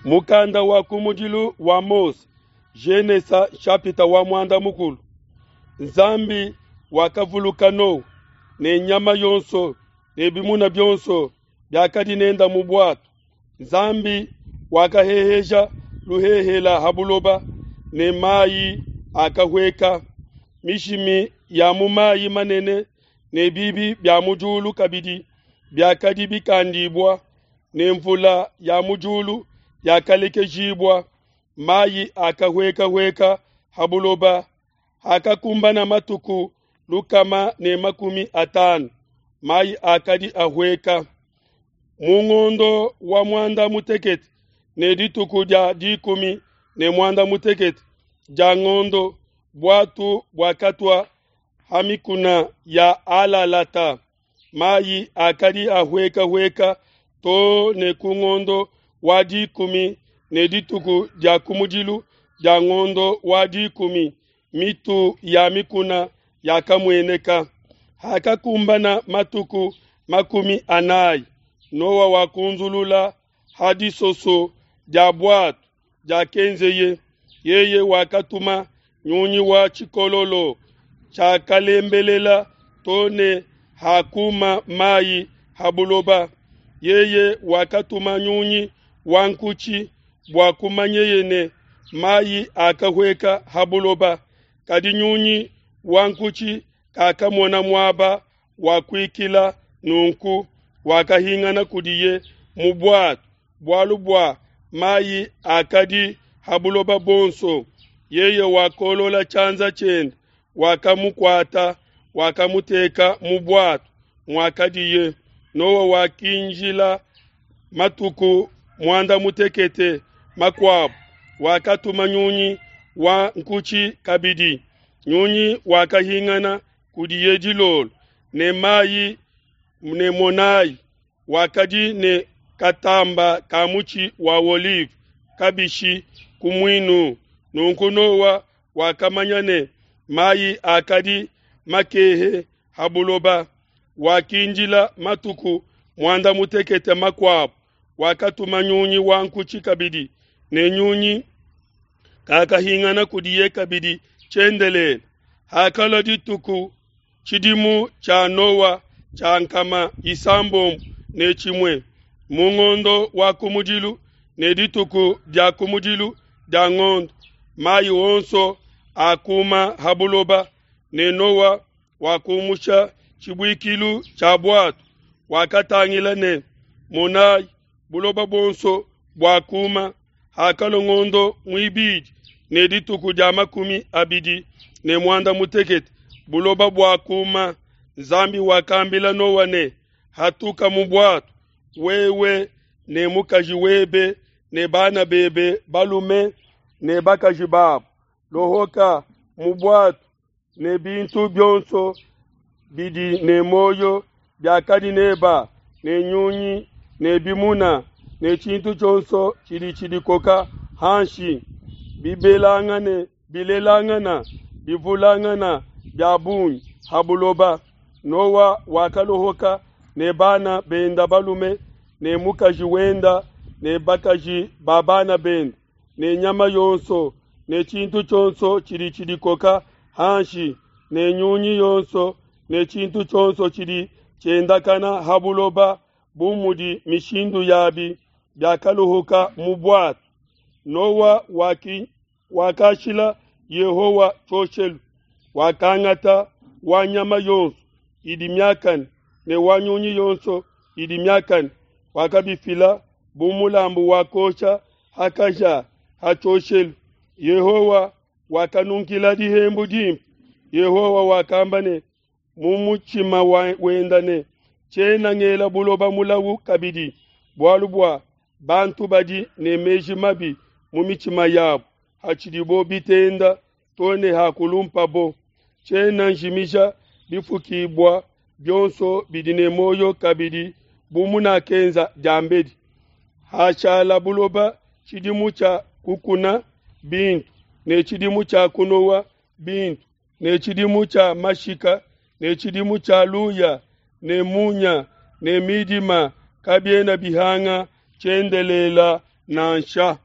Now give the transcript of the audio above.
Mukanda wa kumudilu wa Mose, Genesa nshapita wa muanda mukulu. Nzambi wakavuluka Noa ne nyama yonso ne bimuna bionso biakadi nenda mu buatu. Nzambi wakaheheja luhehela ha buloba ne mayi akahueka. Mishimi ya mu mayi manene ne bibi bia mu diulu kabidi biakadi bikandibua, ne mvula ya mu diulu yakalekejibua. Mayi akahuekahueka ha buloba. Hakakumbana matuku 150, mayi akadi ahueka. Mu ngondo wa muanda mutekete ne dituku dia 18 dia ngondo, buatu buakatua ha mikuna ya Alalata. Mayi akadi ahuekahueka to ne ku ngondo wa 10 ne dituku dia kumudilu dia ngondo wa 10, mitu ya mikuna yakamueneka. Hakakumbana matuku 40, Noa wakunzulula ha disoso dia buatu diakenzeye. Yeye wakatuma nyunyi wa tshikololo tshiakalembelela to ne hakuma mayi ha buloba. Yeye wakatuma nyunyi wa nkutshi bua kumanyeye ne mayi akahueka ha buloba. Kadi nyunyi wa nkutshi kakamona muaba wa kuikila, nunku wakahingana kudiye mu buatu, bualu bua mayi akadi ha buloba buonso. Yeye wakolola tshianza tshiende, wakamukuata, wakamuteka mu buatu muakadiye. Noa wakinjila matuku 18 makuabu, wakatuma nyunyi wa nkutshi kabidi. Nyunyi wakahingana kudiye dilolo ne mayi ne monayi, wakadi ne katamba ka mutshi wa olive kabishi ku muinu. Nunku Noa wakamanya ne mayi akadi makehe ha buloba. Wakindila matuku 18 makuabu, wakatuma nyunyi wa nkutshi kabidi, ne nyunyi kakahingana kudiye kabidi tshiendelele. Hakalua dituku tshidimu tshia Noa tshia 601 mu ngondo wa kumudilu ne dituku dia kumudilu dia ngondo, mayi onso akuma ha buloba, ne Noa wakumusha tshibuikilu tshia buatu. Wakatangila ne monayi, buloba buonso buakuma. Hakalua ngondo muibidi ne dituku dia 28, buloba buakuma. Nzambi wakambila Noa ne, hatuka mu buatu, wewe ne mukaji webe ne bana bebe balume ne bakaji babo. Lohoka mu buatu ne bintu bionso bidi ne muoyo biakadi neba, ne nyunyi ne bimuna ne tshintu tshionso tshidi tshidikoka hanshi, bibelangane bilelangana bivulangana bia bungi ha buloba. Noa wakalohoka ne bana benda balume ne mukaji wenda ne bakaji ba bana benda ne nyama yonso ne tshintu tshionso tshidi tshidikoka hanshi ne nyunyi yonso ne tshintu tshionso tshidi tshiendakana ha buloba bu mudi mishindu yabi, biakaluhuka mu buatu. Noa wakashila Yehowa tshioshelu, wakangata wa nyama yonso idi miakane ne wa nyunyi yonso idi miakane, wakabifila bu mulambu wa kosha hakaja ha tshioshelu. Yehowa wakanunkila dihembu dimpe. Yehowa wakamba ne mu mutshima wenda ne, tshiena ngela buloba mulawu kabidi, bualu bua bantu badi ne meji mabi mu mitshima yabo hatshidibo bitenda to ne hakulumpabo. Tshiena njimija bifukibua bionso bidi ne muoyo kabidi bu munakenza diambedi. Hashala buloba tshidimu tshia kukuna bintu ne tshidimu tshia kunowa bintu ne tshidimu tshia mashika ne tshidimu tshia luya ne munya ne midima kabiena bihanga tshiendelela. nansha.